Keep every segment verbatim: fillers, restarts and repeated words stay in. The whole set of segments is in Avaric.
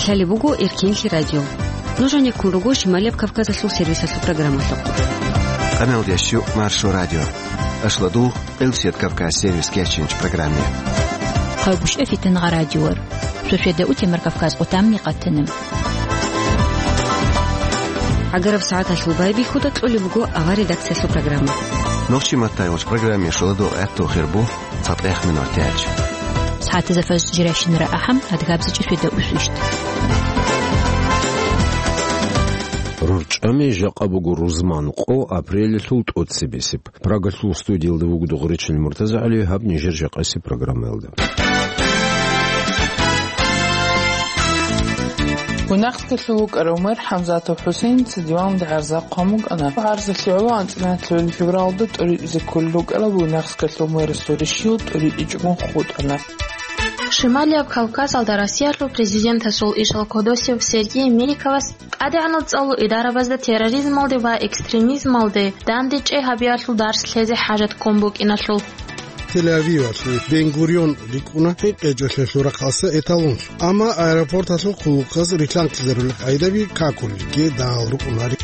Лъалеб буго Эркенлъи радио. Нуж гьанеккун руго Шималияб Кавказалъул сервисалъул программалъухъ. Къамелдещу Маршо радио. Ашладу, Элсет Кавказ сервис кечинч программе. Хъагушев Фитангъа радиор. Шошеда утемар Кавказ къутамни къатана. ГӀагараб сагӀаталъул байбихьуда кьолеб буго авар редакциялъул программа. Нохчи маттайгъуч программе шоладу гӀатту хирбу. ЦатӀех минут тяч. СагӀатазда фажр жирашин рагӀахъан, адгабзичӀеб шведа усвищт. РорчӀами жакъа буго рузман къо апрелалъул тӀоцебесеб. Прагалъул студиялда вугода Гъуречил МуртазагӀали, гьаб нижер жакъасеб программаялда. Гунахскалъул вукӀарав мэр ХӀамзатов ХӀусейница диванде гӀарза хъван букӀана. ГӀарзалъе гӀоло анцӀила февралда тӀоритӀизе кколел рукӀарал Гунахскалъул мэрасул ришил тӀоритӀичӀого хутӀана. Шималияб Кавказалда Россиялъул президентасул ишал кодосев Сергей Меликовас ТӀадегӀанав цӀалул идарабазда терроризмалде ва экстремизмалде дандечӀей гьабиялъул дарс лъезе хӀажат ккун букӀиналъул. Тель-Авивалъул Бен-Гурион рикӀкӀуна хӀинкъичӀолъиялъул рахъалъа эталонлъун, амма аэропорталъул хъулухъаз рилълъанкизарулел къайдаби какулелги дагьал рукӀунари.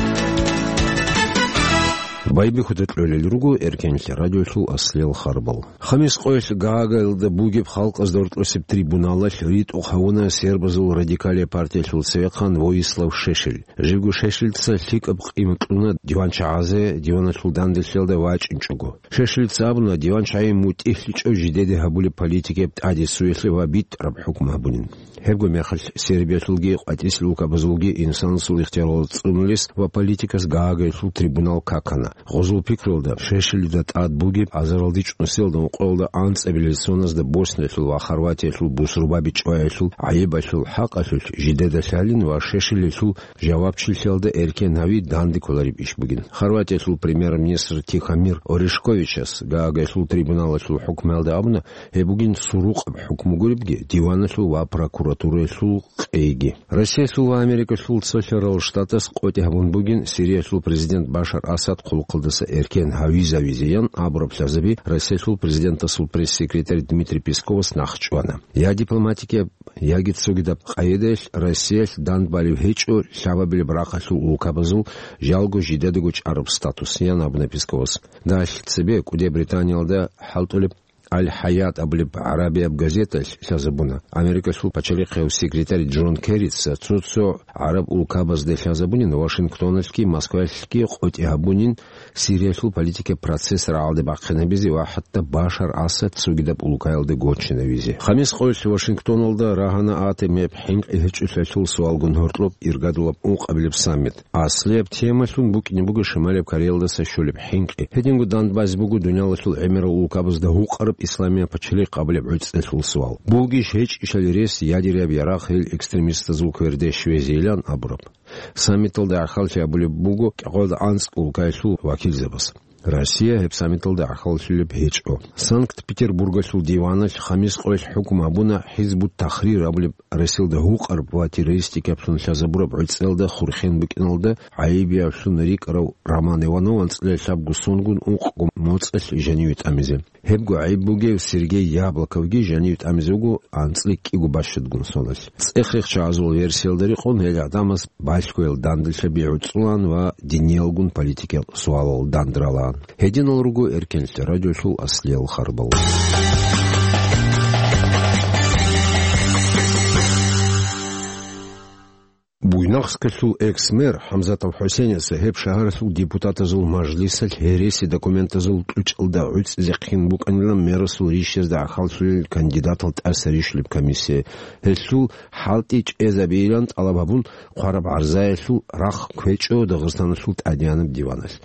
Байбихьуда кьолел руго Эркенлъи радиолъул аслиял харбал. Хамис къоялъ Гаагиялда бугеб халкъазда гьоркьосеб трибуналалъ ритӀухъ гьавуна сербазул радикалияб партиялъул цевехъан Воислав Шешель. Живго Шешельца лъикӀаб къимат кьуна диванчагӀазе диваналъул данделъиялда вачӀинчӀого. Шешельца абуна, диванчагӀи мутӀигьлъичӀев жидеде гьабулеб политикаяб тӀадесуялъе ва битӀараб хӀукму гьабунин. Гьебго мехалъ Сербиялъулги къватӀисел улкабазулги инсанасул ихтияралда цӀунулес ва политикас Гаагиялъул трибунал какана. Гъозул пикруялда, Шешелида тӀад бугеб азаралдичӀ нусиялда ункъоялда анцӀабилел соназда Босниялъул ва Хорватиялъул бусурбаби чӀваялъул гӀайибалъул хӀакъалъулъ жидеда лъалин ва Шешелилъул жавабчилъиялда эркен гьави данде кколареб иш бугин. Хорватиялъул премьер-министр Тихомир Орешковичас Гаагиялъул трибуналалъул хӀукмуялда абуна, гьеб бугин сурукъаб хӀукму гуребги диваналъул ва прокуратураялъул къейги. Россиялъул ва Америкалъул цолъарал штатас къотӀи гьабун бугин Сириялъул президент Башар Асад хъулухъалдаса эркен гьавизавизеян абураб лъазаби Россиялъул президентасул пресс-секретарь Дмитрий Песковас нахъчӀвана. Я дипломатикияб, яги цогидаб къайдаялъ Россиялъ дандбалев гьечӀо лъабабилеб рахъалъул улкабазул жалго жидедаго чӀараб статус, ян абуна Песковас. Далъ цебе кӀудияб Британиялда хӀалтӀулеб Аль-Хаят абулеб гӀарабияб газеталъ лъазабуна, Америкалъул пачалихъияв секретарь Джон Керрица цо-цо гӀараб улкабазде лъазабунин Вашингтоналъги Москвалъги къотӀи гьабунин Сириялъул политикаб процесс рагӀалде бахъинабизе ва хӀатта Башар Асад цогидаб улкаялде гочинавизе. Хамис къоялъ Вашингтоналда рагьана атомияб хӀинкъи гьечӀолъиялъул суалгун гьоркьоб иргадулаб ункъабилеб саммит. Аслияб темалъун букӀине буго Шималияб Кореялдаса щолеб хӀинкъи. Гьединго дандбазе буго дуниялалъул гӀемерал улкабазда гьукъараб исламияб пачалихъ абулеб гӀуцӀелъул суал. Бугищ гьечӀищали рес ядераб ярагъ гьел экстремистазул кверде щвезейилан абураб. Саммиталда гӀахьаллъи абулеб буго кӀикъоялда анцӀ улкаялъул вакилзабаз. Россия гьеб саммиталда гӀахьаллъулеб гьечӀо. Санкт-Петербургалъул диваналъ хамис къоялъ хӀукму гьабуна ХӀизбут-Тахрир абулеб Россиялда гьукъараб ва террористикаблъун лъазабураб гӀуцӀелда хурхен букӀиналда гӀайибиявлъун рикӀкӀарав Роман Иванов анцӀила лъабго сонгун ункъго моцӀалъ жаниве тӀамизе. Гьебго гӀайиб бугев Сергей Яблоковги жанив тӀамизе вуго анцӀила кӀиго бащадгун соналъ. ЦӀех-рехчагӀазул версиялда рекъон, гьел гӀадамаз балъгоял данделъаби гӀуцӀулан ва диниялгун политикиял суалал дандралан. Гьединал руго Эркенлъи радиолъул аслиял харбал. Буйнакскалъул экс-мэр ХӀамзатов ХӀусейница гьеб шагьаралъул депутатазул мажлисалъ гьереси документазул кьучӀалда гӀуцӀизехъин букӀанилан мэрасул ришазда гӀахьаллъулел кандидатал тӀаса рищулеб комиссия. Гьелъул хӀалтӀи чӀезабейилан тӀалаб гьабун, хъвараб гӀарзаялъул рахъ кквечӀо Дагъистаналъул тӀадегӀанаб диваналъ.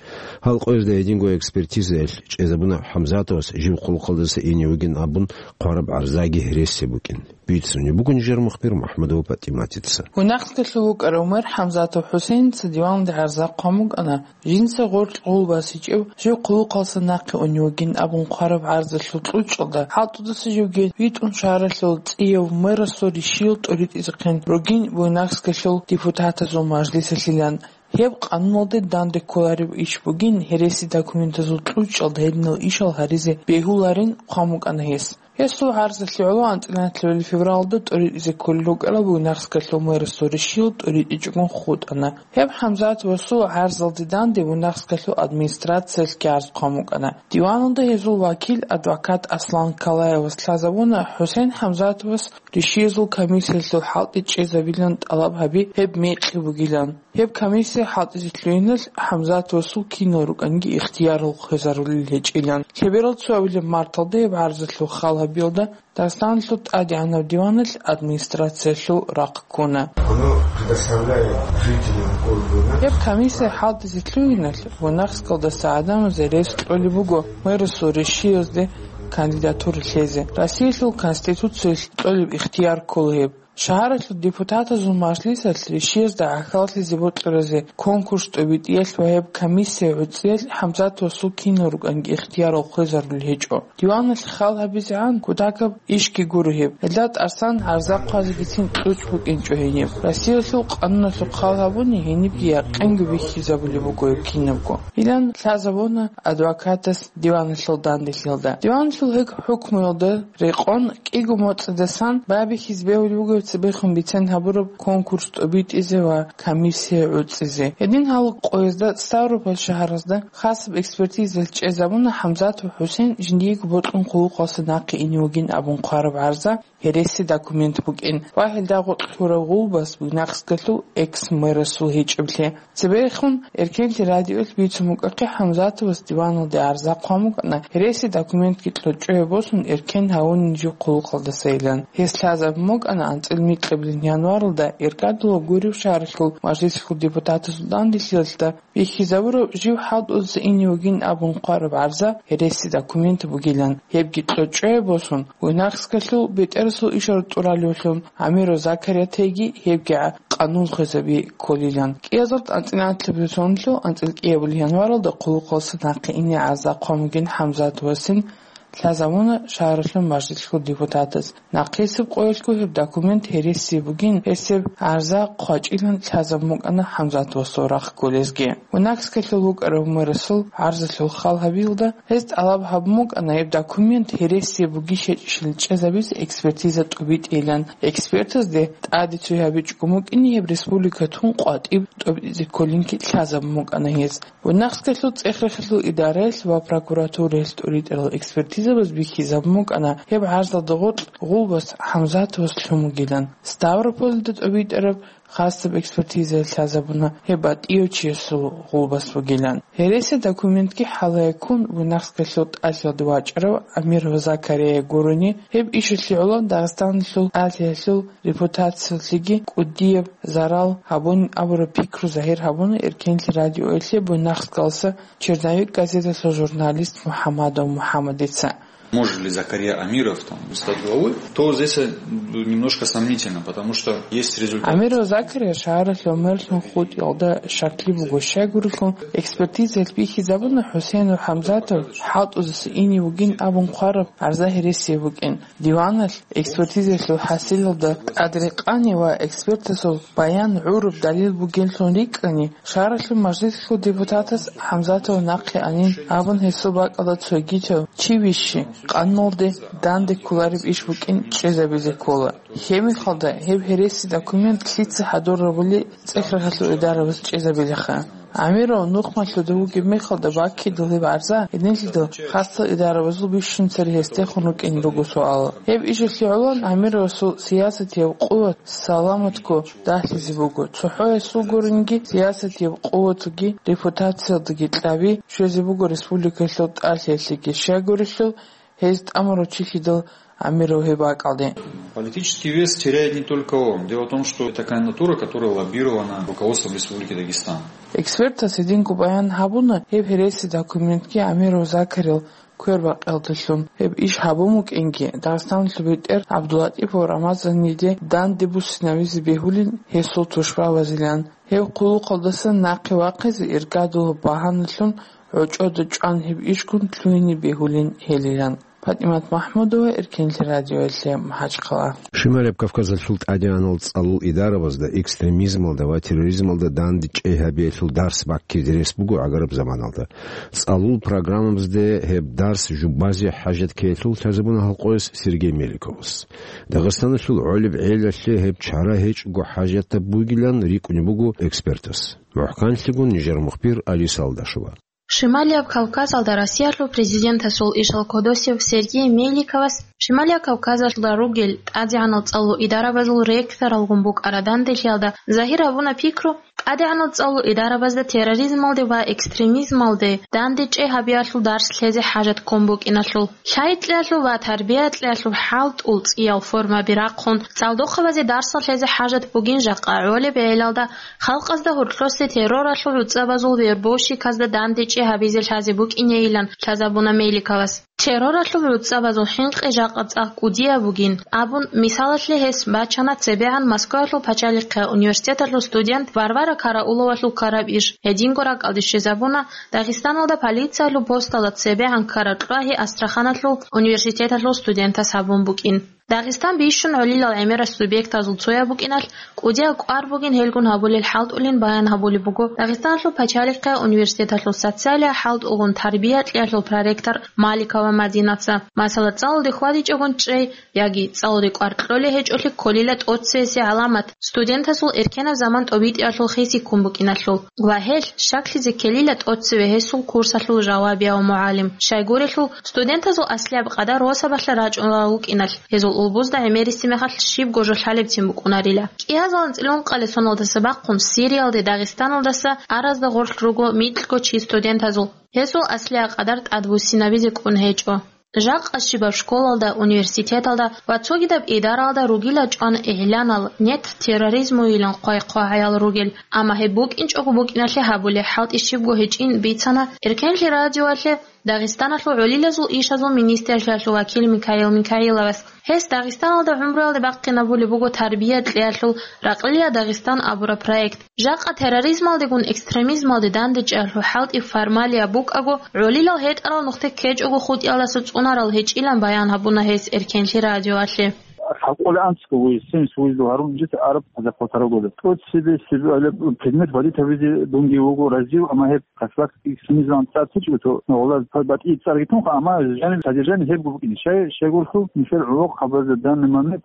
Гьал къоязда гьединго экспертизаялъ чӀезабуна ХӀамзатовас жив хъулухъалдаса ине вугин абун хъвараб гӀарзаги гьереси букӀин. Бицунеб буго нижер мухбир МухӀамадова ПатӀиматица. Гунахскалъул вукӀарав мэр ХӀамзатов ХӀусейница диванде гӀарза хъван букӀана, жинца гъоркь гъул басичӀев жив хъулухъалдаса нахъе унев вугин абун хъвараб гӀарзалъул кьучӀалда хӀалтӀудаса живги витӀун шагьаралъул цӀияв мэрасул ришиял тӀоритӀизехъин ругин Буйнакскалъул депутатазул мажлисалъилан. Гьеб къануналде данде кколареб иш бугин, гьереси документазул кьучӀалда гьединал ишал гьаризе бегьуларин хъван букӀана гьес. Гьесул гӀарзалъе гӀоло анцӀила нилъер февралда тӀоритӀизе кколел рукӀарал Буйнакскалъул мэрасул решил тӀоритӀичӀогун хутӀана. Гьеб ХӀамзатовасул гӀарзалде данде Буйнакскалъул администрациялъги гӀарз хъван букӀана. Диваналда гьезул вакил, адвокат Аслан Калаевас лъазабуна ХӀусен ХӀамзатовас решиязул комиссиялъул хӀалтӀи чӀезабилан тӀалаб гьаби гьеб мекъи бугилан. Гьеб комиссия хӀалтӀизе лъугьиналъ ХӀамзатовасул кинал рукӀанги ихтиярал хвезарулел гьечӀилан. Лъеберал цо абилеб марталда гьеб гӀарзалъул хал гьабиялда Дагъистаналъул тӀадегӀанаб диваналъ администрациялъул рахъ ккуна. Оно предоставляет жителям города Буйнакск. Гьеб комиссия хӀалтӀизе лъугьиналъ Буйнакскалдаса гӀадамазе рес кьолеб буго мэрасул решиязде кандидатура лъезе. Россиялъул Конституциялъ кьолеб ихтияр ккола гьеб. Шагьаралъул депутатазул мажлисалъ решиязда гӀахьаллъизе бокьаразе конкурс тӀобитӀиялъ ва гьеб комиссия гӀуцӀиялъ ХӀамзатовасул кинал рукӀанги ихтиярал хвезарулел гьечӀо. Диваналъ хал гьабизегӀан кутакаб ишги гуро гьеб. Гьелда тӀасан гӀарза хъвазегицин кьучӀ букӀинчӀо гьениб. Россиялъул къануналъухъ хал гьабуни гьенибги якъинго бихьизабулеб буго гьеб кинабго, илан лъазабуна адвокатас диваналъул данделъиялда. Диваналъул гьеб хӀукмуялда рекъон кӀиго моцӀидасан байбихьизе бегьулеб буго цебехун бицен гьабураб конкурс тӀобитӀизе ва комиссия гӀуцӀизе. Гьедин гьал къоязда Ставрополь шагьаразда хасаб экспертиза чӀезабуна ХӀамзатов ХӀусен жиндиего бокьун хъулухъалъа нахъе ине вугин абун хъвараб гӀарза гьереси документ букӀин ва гьелда гъоркь лъурав гъулбас Буйнакскалъул экс-мэрасул гьечӀеблъи. Цебехун Эркенлъи радиоялъ бицун букӀахъе ХӀамзатовас диваналде гӀарза хъван букӀана гьереси документги кьучӀое босун эркен гьавунин жив хъулухъалдасайилан. Гьес лъазабун букӀана анцӀил микьабилин январалда Иркадула гурев шагьаралъул мажлисалъул депутатасул данделъиялда бихьизабураб жив хӀалтӀулъа ине вугин абун хъвараб гӀарза гьереси документ бугилан. Гьебги кьучӀое босун, Буйнакскалъул бетӀерасул ишар тӀуралевлъун Амиров Закариятайги гьебги къанун хвезаби кколилан. КӀиазарт анцӀила анлъабилеб соналъул анцӀила кӀиабилеб январалда хъулухъалъа нахъе ине гӀарза хъван бугин ХӀамзатовасин лъазабуна шагьаралъул мажлисалъул депутатас. Нахъисеб къоялъго гьеб документ гьереси бугин, гьесеб гӀарза хъвачӀилан лъазабун букӀана ХӀамзатовасул рахъ кколезги. Буйнакскалъул вукӀарав мэрасул гӀарзалъул хал гьабиялда гьез тӀалаб гьабун букӀана гьеб документ гьереси бугищ-гьечӀищ чӀезабизе экспертиза тӀобитӀейилан. Экспертазде тӀаде цой гьабичӀого букӀине гьеб республика тун къватӀиб тӀобитӀизе кколинги лъазабун букӀана гьез. Буйнакскалъул цӀех-рехалъул идараялъ ва прокуратураялъ тӀоритӀарал экспертизабаз бихьизабун букӀана гьеб гӀарзалда гъоркь гъулбас ХӀамзатовас лъун бугилан. Ставропольда тӀобитӀараб хасаб экспертизаялъ лъазабуна гьеб батӀияв чиясул гъулбас бугилан. Гьереси документги хӀалае ккун Буйнакскалъул тӀалъиялде вачӀарав Амиров Закария гурони, гьеб ишалъе гӀоло Дагъистаналъул тӀалъиялъул репутациялъеги кӀудияб зарал гьабунин абураб пикру загьир гьабуна Эркенлъи радиоялъе Буйнакскалъа «Черновик» газеталъул журналист МухӀамадов МухӀамадица. Может ли Закария Амиров там стать главой? То здесь, э, немножко сомнительно, потому что есть результат. Амиров Закария шагьаралъул мэрлъун хутӀиялда щаклъи буго, щайгурелъул экспертизаялъ бихьизабуна ХӀусейнов ХӀамзатов хӀалтӀузеса ине вугин абун хъвараб гӀарза гьереси букӀин. Диваналъ экспертизаялъул хӀасилалда тӀадрекъани ва экспертасул баян гӀураб далил бугеллъун рикӀкӀани, шагьаралъул мажлисалъул депутатас ХӀамзатов нахъе анин абун гьесул бакӀалда цогидав чи вищи, къануналде данде кколареб иш букӀин чӀезабизе ккола. Гьеб мехалда гьеб гьереси документ лъица хӀадур гьабули цӀех-рехалъул идарабаз чӀезабилаха. Амиров нухмалъуда вугеб мехалда баккидал гьеб гӀарза гьединлъидал хасал идарабазул бищун цере гьесдехун рукӀин руго суал. Гьеб ишалъе гӀоло Амировасул сиясатияб къуват саламатго дагьлъизе буго. ЦохӀо гьесул гуринги сиясатияб къуватги репутациялдаги кьаби щвезе буго республикалъул тӀалъиялъеги, щайгурелъул гьез тӀамурав чилъидал Амиров гьеб бакӀалде. Политический вес теряет не только он. Дело в том, что это кандидатура, которая лоббирована руководством Республики Дагестан. Экспертас гьединго баян гьабуна, гьеб гьереси документги Амиров Закарил квербакъиялдалъун гьеб иш гьабун букӀинги, Дагъистаналъул бетӀер ГӀабдуллатӀипов Рамазаниде данде буссинавизе бегьулин гьесул тушбабазилан. Гьев хъулухъалдасан нахъе вахъизе иргадулаб багьаналъун гӀочӀода чӀван гьеб ишгун лъугьине бегьулин гьелилан. ПатӀимат МахӀмудова, Эркенлъи радиоялъе, МахӀачхъала. Шималияб Кавказалъул тӀадегӀанал цӀалул идарабазда экстремизмалда ва терроризмалда дандечӀей гьабиялъул дарс баккизе рес буго гӀагараб заманалда. ЦӀалул программабазде гьеб дарс жубазе хӀажат ккеялъул лъазабуна гьалкъояс Сергей Меликовас. Дагъистаналъул гӀолеб гӀелалъе гьеб чара гьечӀого хӀажатаб бугилан рикӀкӀунеб буго экспертас. МухӀканлъигун нижер мухбир Алиса Алдашева. Шималияб Кавказалда Россиялъул президентасул ишал кодосев Сергей Меликовас Шималияб Кавказалда ругел тӀадегӀанал цӀалул идарабазул ректоралгун букӀараб данделъиялда загьир гьабуна пикру, тӀадегӀанал цӀалул идарабазда терроризмалде ва экстремизмалде дандечӀей гьабиялъул дарс лъезе хӀажат ккун букӀиналъул. Лъай кьеялъул ва тарбия кьеялъул хӀалтӀул цӀиял формаби рахъун, цӀалдохъабазе дарсал лъезе хӀажат бугин жакъа гӀолеб гӀелалда, халкъазда гьоркьосе терроралъул гӀуцӀабазул вербовщиказда дандечӀей гьабизе лъазе букӀинейилан лъазабуна Меликовас. Терроралъул гӀуцӀабазул хӀинкъи жакъа цӀакъ кӀудияб бугин, абун, мисалалъе гьес бачана цебегӀан Москваялъул пачалихъе университеталъул студент Варвара Карауловалъул ккараб иш, гьединго ракӀалде щвезабуна Дагъистаналда полициялъул посталда цебегӀан ккараб кьвагьи Астраханалъул университеталъул студентас гьабун букӀин. Дагъистан бищун гӀолилал гӀемерал субъектазул цояб букӀиналъ, кӀудияб кӀвар бугин гьелгун гьабулел хӀалтӀулин баян гьабулеб буго Дагъистаналъул пачалихъе университеталъул социалияб хӀалтӀулгун тарбия кьеялъул проректор Маликова Мадинаца. Масала, цӀалулде хьвадичӀогун чӀей яги цӀалулде кӀвар кьолей гьечӀолъи кколила тӀоцевесеб гӀаламат, студентазул эркенаб заман тӀобитӀиялъул хиси ккун букӀиналъул ва гьелъ щаклъизе ккелила тӀоцеве гьесул курсалъул жавабияв мугӀалим. Щайгурелъул, студентазул аслияб къадар росабалъа рачӀунарал вукӀиналъ, гьезул улбузда гӀемерисеб мехалъ щибго жо лъалебцин букӀунарила. КӀиазул анцӀила ункъабилеб соналдаса бахъун Сириялде Дагъистаналдаса аразда гъорлъ руго микьго чи студентазул. Гьесул аслияб къадар тӀадбуссинабизе кӀун гьечӀо. Жакъа щибаб школалда, университеталда ва цогидаб идаралда ругила чӀван игӀланал, нет терроризмуйилан хъвай-хъвагӀаял ругел, амма гьеб букӀинчӀого букӀиналъе гьабулеб хӀалтӀи щибго гьечӀин бицана Эркенлъи радиоялъе Дагъистаналъул гӀолилазул ишазул министрлъиялъул вакил Микаил Микаиловас. Гьес Дагъистаналда гӀумруялде бахъинабулеб буго тарбия кьеялъул «Ракълила Дагъистан» абураб проект. Жакъа терроризмалдегун экстремизмалде дандечӀеялъул хӀалтӀи формалияб букӀаго, гӀолилал гьетӀарал нухде ккечӀого хутӀиялдаса цӀунарал гьечӀилан баян гьабуна гьес Эркенлъи радиоялъе. Хабкъолеб анцӀго вугев, семьдесят вугев гьарун жита араб хӀаза хъватарагулеб. ТӀоцебесеб предмет валид гьабизе дунги вуго разив, амма гьеб Касбак экстремизман цӀар течӀо, то гъолаз батӀи цӀарги тунха, амма жаниб содержание гьебго букӀине. Щай, щайгурелъул, нилъер гӀолохъабазда данный момент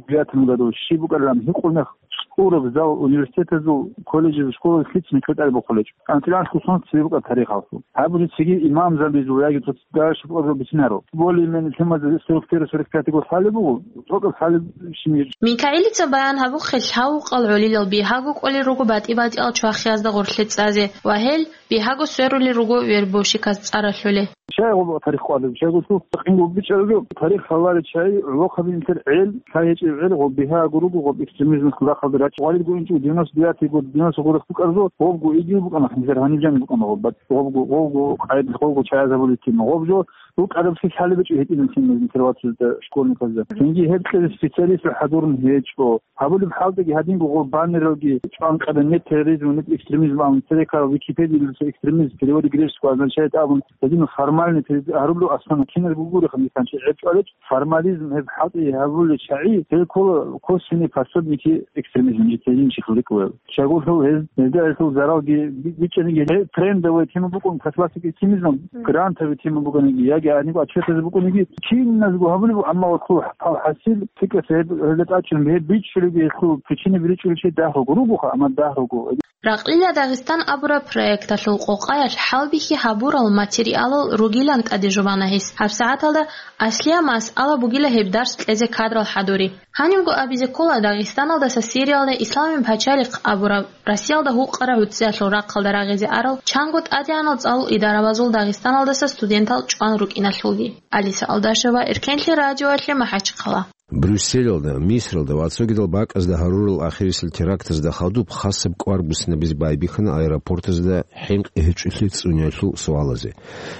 девятом году щиб букӀарилан гьикъулмех, цӀураб зал университетазул, колледжазул, школазул лъицӀ микьа тӀад бухъулечӀо. АнцӀила анлъго сон цебе букӀа тарихалъул. Гьабулеб цеги имам замбизул яги цо дагьа шукъабазул бицинарал. Более-менее темазда сорок первый, сорок пятый год лъалеб буго, цӀокӀаб лъалеб щиб. Микаилица баян гьабухъе, лъавукъал гӀолилал бигьаго кӀолел руго батӀи-батӀиял чвахиязда гъорлъе цӀазе ва гьел бигьаго сверулел руго вербовщиказ цӀар ралъулел. Щай гъоб тарих къварилеб? Щайгурелъул къинго бичӀчӀараб жо, тарих гьаларел чагӀи, гӀолохъаби нилъер гӀел, лъай гьечӀеб гӀел, гъоб бигьаго руго, гъоб экстремизм рахъалда рачӀ. Гъвалилго инчӀо девяносто девятый год, девяносто гъорехъ букӀараб жо, гъобго игил букӀана, нилъер гьаниб жаниб букӀана гъоб, гъобго, гъобго къайдалъ гъобго чагӀазабулел тема. Гъоб жо рукӀараб лъикӀ лъалеб гьечӀо гьединал темазе интервьюзда школьниказда. Цинги гьеб кьезе специалистал хӀадурун гьечӀо. Гьабулеб хӀалтӀиги гьадинго гъоб баннералги чӀван къабе, нет терроризма, нет экстремизма абун, церекал Википедиялъуса экстремизм в переводе греческого означает абун, гьадинал формальный перевод гьарулев, основном киназго гуреха, миканчи гӀеб чӀвалел, формализм гьеб хӀалтӀи гьабулел чагӀи, гьел ккола косвенные пособники экстремизма, житейин чихлик вел. Щайгурелъул гьез, гьезда гьелъул заралги би-, бичӀчӀаниги, гьеб трендовая тема букӀун, профилактика экстремизма, грантовая тема букӀаниги, яги гьаниб отчетазе букӀаниги, киназго гьабулеб, амма гьелъул хӀал-хӀасил, цӀикӀкӀаса гьеб, гьелда тӀадчӀун гьеб бичӀчӀулеб, гьелъул причина бичӀчӀулев чи дагь руго, ругоха, амма дагь руго. «Ракълила Дагъистан» абураб проекталъул къокъаялъ хӀалбихьи гьабурал материалал ругилан тӀаде жубана гьес. ГьабсагӀаталда аслияб масъала бугила гьеб дарс кьезе кадрал хӀадури. Гьанибго абизе ккола, Дагъистаналдаса Сириялда Исламияб пачалихъ абураб Россиялда гьукъараб гӀуцӀиялъул рахъалда рагъизе арал чанго тӀадегӀанал цӀалул идарабазул Дагъистаналдаса студентал чӀван рукӀиналъулги. Алиса Алдашева, Эркенлъи радиоялъе, МахӀачхъала. Брюсселалда, Мисралда ва цогидал бакӀазда гьарурал ахирисел терактазда хадуб хасаб кӀвар буссинабизе байбихьана аэропортазда хӀинкъи гьечӀолъи цӀуниялъул суалазе.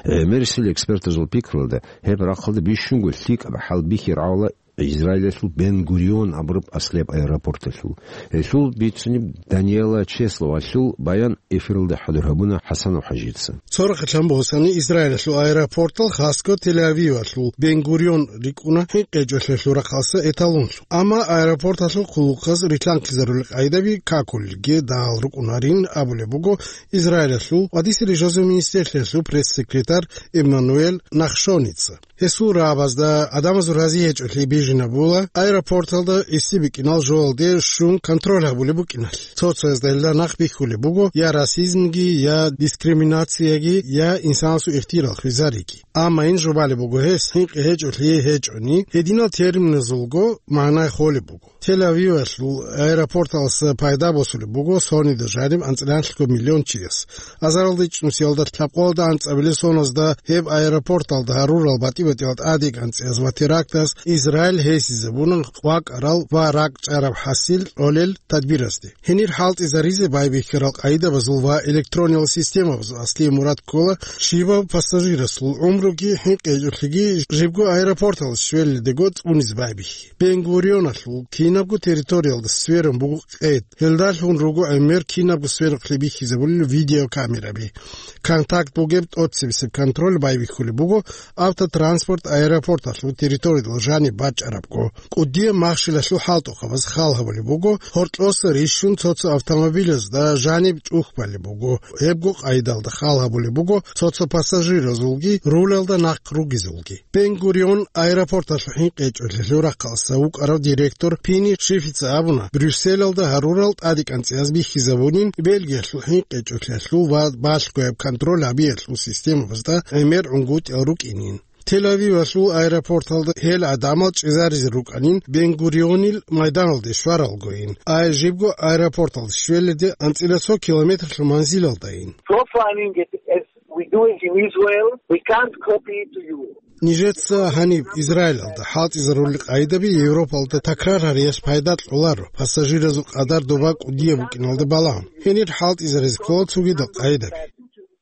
ГӀемерисел экспертазул пикруялда, гьеб рахъалда бищунго лъикӀаб хӀалбихьи рагӀула Израилалъул Бен-Гурион абураб аслияб аэропорталъул. Гьелъул бицунеб Даниэла Чесловалъул баян эфиралда хӀадур гьабуна ХӀасанов ХӀажица. Цо рахъалъан босани, Израилалъул аэропортал хасго Тель-Авивалъул Бен-Гурион рикӀкӀуна хӀинкъи гьечӀолъиялъул рахъалъа эталонлъун. Амма аэропорталъул хъулухъаз рилълъанхъизарулел къайдаби какулелги дагьал рукӀунарин абулеб буго Израилалъул ва дисили жозул министрлъиялъул пресс-секретарь Эммануэль Нахшоница. Гьесул рагӀабазда, гӀадамазул рази гьечӀолъи бижинабула аэропорталда гӀиси бикӀинал жоялде щун контроль гьабулеб букӀиналъ. Цо-цоязда гьелда нахъ бихьулеб буго я расизмги, я дискриминацияги, я инсанасул ихтияр хвезариги. Амма ин жубалеб буго гьес, хӀинкъи гьечӀолъи гьечӀони, гьединал терминазулго магӀна холеб буго. Тель-Авивалъул аэропорталъа пайда босулеб буго сонида жаниб анцӀила лъабго миллион чияс. Азаралда ичӀнусиялда лъабкъоялда анцӀабилеб соназда гьеб аэропорталда гьарурал батӀи-батӀиял тӀадегӀанцӀияз ва терактаз Израиль гьесизабуна вакӀарал ва ракӀчӀараб хӀасил кьолел тадбиразде. Гьенир хӀалтӀизаризе байбихьарал къайдабазул ва электрониял системабазул аслияб мурад ккола щибаб пассажирасул гӀумруги хӀинкъи гьечӀолъиги жибго аэропорталде щвелалдего цӀунизе байбихьи. Бен-Гурионалъул кинабго территориялда сверун буго къед. Гьелдалъун руго гӀемер кинабго сверухълъи бихьизабулел видеокамераби. Контакт бугеб тӀоцебесеб контроль байбихьулеб буго автотранспорт аэропорталъул территориялда жаниб бачӀарабго. КӀудияб махщелалъул хӀалтӀухъабаз хал гьабулеб буго, гьоркьоса рищун цо-цо автомобилазда жаниб чӀухь балеб буго, гьебго къайдалда хал гьабулеб буго цо-цо пассажиразулги рулалда нахъ ругезулги. Бен-Гурион аэропорталъул хӀинкъи гьечӀолъиялъул рахъалъа вукӀарав директор Пини Шифица абуна, Брюсселалда гьарурал тӀадегӀанцӀияз бихьизабунин Бельгиялъул хӀинкъи гьечӀолъиялъул ва балъгояб контроль гьабиялъул системабазда гӀемер гӀунгутӀиял рукӀинин. Тель-Авивалъул аэропорталда гьел гӀадамал чӀезаризе рукӀанин Бен-Гурионил майданалде щваралгойин, ай жибго аэропорталде щвелалде анцӀила цо километрлъул манзилалдайин. Profiling it as we do it in Israel, we can't copy it to Europe. Нижеца гьаниб Израилалда хӀалтӀизарулел къайдаби Европалда такрар гьариялъ пайда кьоларо, пассажиразул къадар доба кӀудияб букӀиналда балагьун. Гьенир хӀалтӀизаризе ккола цогидал къайдаби.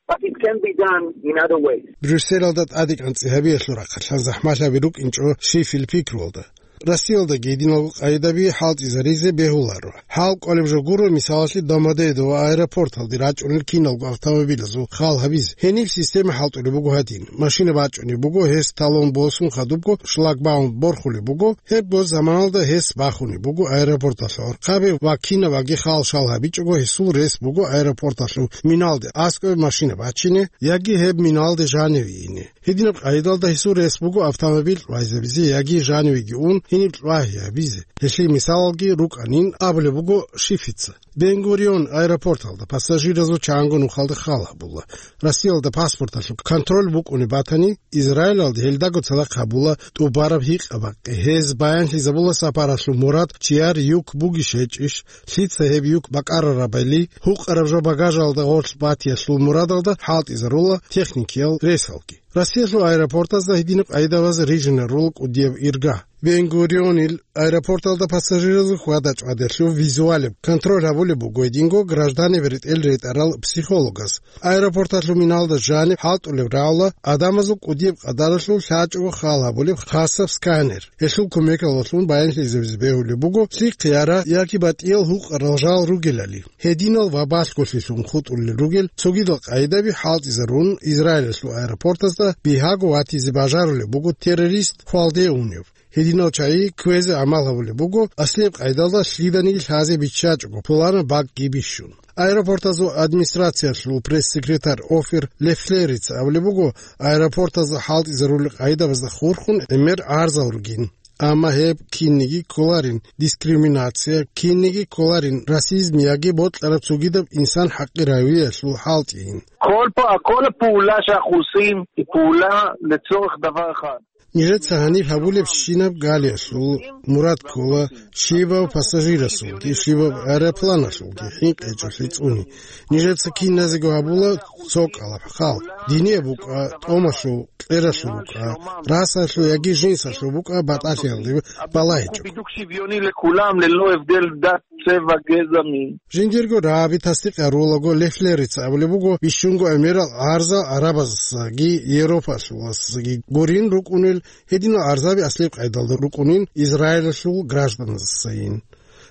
But it can be done in other ways. Брюсселалда тӀадегӀанцӀи гьабиялъул рахъалъан захӀмалъаби рукӀинчӀо щив-щивил пикруялда. Россиялдаги гьединалго къайдаби хӀалтӀизаризе бегьуларо. ХӀал кӀолеб жо гуро, мисалалъе, Домодедово аэропорталде рачӀунел киналго автомобилазул хал гьабизе. Гьениб система хӀалтӀулеб буго гьадин. Машина бачӀунеб буго, гьес талон босун хадубго шлагбаум борхулеб буго, гьебго заманалда гьес бахунеб буго аэропорталъул гӀорхъабе ва кинабаги хал-шал гьабичӀого гьесул рес буго аэропорталъул миналде аскӀове машина бачине яги гьеб миналде жаниве ине. Гьединаб къайдалда гьесул рес буго автомобиль кьвайзабизе яги жанивеги ун гьениб кьвагьи гьабизе. Гьелъие мисалалги рукӀанин абулеб буго Шифица. Бен-Гурион аэропорталда пассажиразул чанго нухалда хал гьабула. Россиялда паспорталъул контроль букӀунеб батани, Израилалда гьелдаго цадахъ гьабула тӀубараб гьикъа-бакъи. Гьез баянлъизабула сапаралъул мурад чияр юк бугищ гьечӀищ, лъица гьеб юк бакӀарарабали, гьукъараб жо багажалда гъорлъ батиялъул мурадалда хӀалтӀизарула техникиял ресалги. Россиялъул аэропортазда гьединаб къайдабаз рижинарул кӀудияб ирга. Бен-Гурионил аэропорталда пассажиразул хьвада-чӀвадалъув визуалеб контроль гьабулеб буго гьединго гражданиб ретӀел ретӀарал психологас. Аэропорталъул миналда жаниб хӀалтӀулеб рагӀула гӀадамазул кӀудияб къадаралъул лъачӀого хал гьабулеб хасаб сканер. Гьелъул кумекалдалъун баянлъизабизе бегьулеб буго лъихъе ара яги батӀиял гьукъарал жал ругелали. Гьединал ва балъголъилъун хутӀулел ругел цогидал къайдаби хӀалтӀизарун, Израилалъул аэропортазда бигьаго ватизе бажарулеб буго террорист хвалде унев. Гьединал чагӀи кквезе гӀамал гьабулеб буго, аслияб къайдалда лъиданиги лъазе биччачӀого, пуланаб бакӀги бищун. Аэропортазул администрациялъул пресс-секретарь Офир Лефлерица абулеб буго, аэропортазда хӀалтӀизарулел къайдабазда хурхун гӀемер гӀарзал ругин. Амма гьеб кинниги кколарин дискриминация, кинниги кколарин расизм яги бокьараб цогидаб инсан хӀакъи равиялъул хӀалтӀийин. כל פ-, כל הפעולה שאנחנו עושים היא פעולה לצורך דבר אחד. Нижеца гьаниб гьабулебщинаб галиялъул мурад ккола щибаб пассажирасулги, щибаб аэропланалъулги хӀинкъи гьечӀолъи цӀуни. Нижеца киназего гьабула цо кӀалаб хал. Динияб букӀа, тӀомалъул, кьералъул букӀа, расалъул яги жинсалъул букӀа батӀалъиялде балагьичӀого. בדיוק שוויוני לכולם ללא הבדל דת, צבע, גזע, מין. Жиндирго рагӀаби тасдикъ гьарулаго Лефлерица абулеб буго, бищунго гӀемерал гӀарзал гӀарабазасаги Европалъуласаги гурин рукӀунел Гьединал гӀарзаби аслияб къайдалда рукӀунин Израилалъул гражданасдасайин.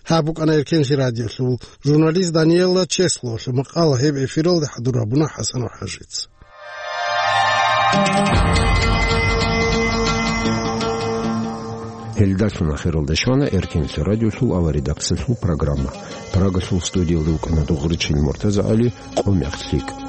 Гьаб букӀана Эркенлъи радиолъул журналист Даниэла Чеслоялъул макъала, гьеб эфиралде хӀадур гьабуна ХӀасан ва ХӀажица. Гьелдалъун ахиралда щвана Эркенлъи радиолъул аваридаксалъул программа. Прагалъул студиялда вукӀана Дугъричил МуртазагӀали, къо мехлъи.